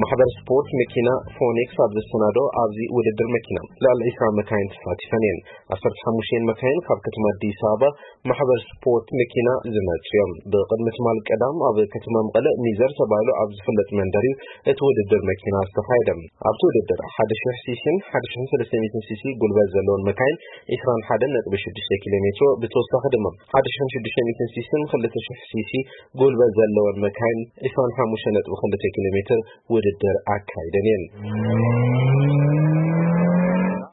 ማሕበር ስፖርት መኪና ፎኒክስ ኣብ ዘሰናዶ ኣብዚ ውድድር መኪና ልዕሊ ዒስራ መካይን ተሳቲፈን እየን። ዓሰርተ ሓሙሽተ መካይን ካብ ከተማ ኣዲስ ኣበባ ማሕበር ስፖርት መኪና ዝመጹ እዮም። ብቕድሚ ትማል ቀዳም ኣብ ከተማ መቐለ ሚዘር ተባሂሉ ኣብ ዝፍለጥ መንደር እዩ እቲ ውድድር መኪና ዝተኻየደ። ኣብቲ ውድድር ሓደ ሺሕ ሲሲን ሓደ ሺሕን ሰለስተ ሚእትን ሲሲ ጉልበት ዘለዎን መካይን ዒስራን ሓደን ነጥቢ ሽዱሽተ ኪሎ ሜትሮ፣ ብተወሳኺ ድማ ሓደ ሺሕን ሽዱሽተ ሚእትን ሲሲን ክልተ ሺሕ ሲሲ ጉልበት ዘለዎን መካይን ዒስራን ሓሙሽተ ነጥቢ ክልተ ኪሎ ሜትር ውድድር ኣካይደን እየን።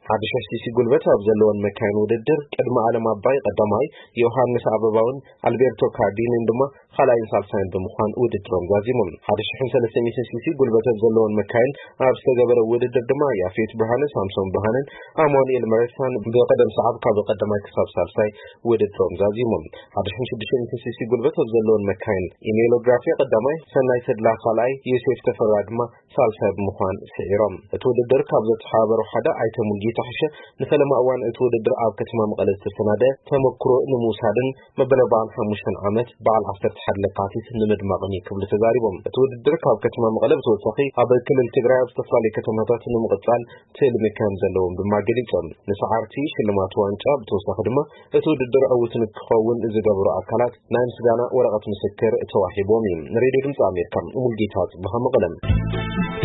ሓደ ሺሕ ሲሲ ጉልበት ኣብ ዘለወን መካይን ውድድር ቅድሚ ኣለም ኣባይ ቀዳማይ፣ ዮሃንስ ኣበባውን ኣልቤርቶ ካርዲንን ድማ ካልኣይን ሳልሳይን ብምዃን ውድድሮም ዛዚሞም። ሓደ ሺሕን ሰለስተ ሚእትን ሲሲ ጉልበት ኣብ ዘለወን መካይን ኣብ ዝተገበረ ውድድር ድማ ያፌት ብርሃነ፣ ሳምሶን ብርሃነን ኣማኑኤል መረሳን ብቀደም ሰዓብ ካብ ቀዳማይ ክሳብ ሳልሳይ ውድድሮም ዛዚሞም። ሓደ ሺሕን ሽዱሽተ ሚእትን ሲሲ ጉልበት ኣብ ዘለወን መካይን ኢሜሎግራፊ ቀዳማይ፣ ሰናይ ተድላ ካልኣይ፣ ዮሴፍ ተፈራ ድማ ሳልሳይ ብምዃን ስዒሮም። እቲ ውድድር ካብ ዘተሓባበሩ ሓደ ኣይተ ሙልጌታ ሕሸ ንፈለማ እዋን እቲ ውድድር ኣብ ከተማ መቐለ ዝተሰናደ ተመክሮ ንምውሳድን መበል ኣርባዓን ሓሙሽተን ዓመት በዓል ዓሰርተ ሓደ ለካቲት ንምድማቕን እዩ ክብሉ ተዛሪቦም። እቲ ውድድር ካብ ከተማ መቐለ ብተወሳኺ ኣብ ክልል ትግራይ ኣብ ዝተፈላለዩ ከተማታት ንምቕጻል ትልሚ ከም ዘለዎም ድማ ገሊጾም። ንሰዓርቲ ሽልማት ዋንጫ ብተወሳኺ ድማ እቲ ውድድር ዕዉት ንክኸውን ዝገበሩ ኣካላት ናይ ምስጋና ወረቐት ምስክር ተዋሂቦም እዩ። ንሬድዮ ድምፂ ኣሜሪካ ሙልጌታ ጽብሃ መቐለም።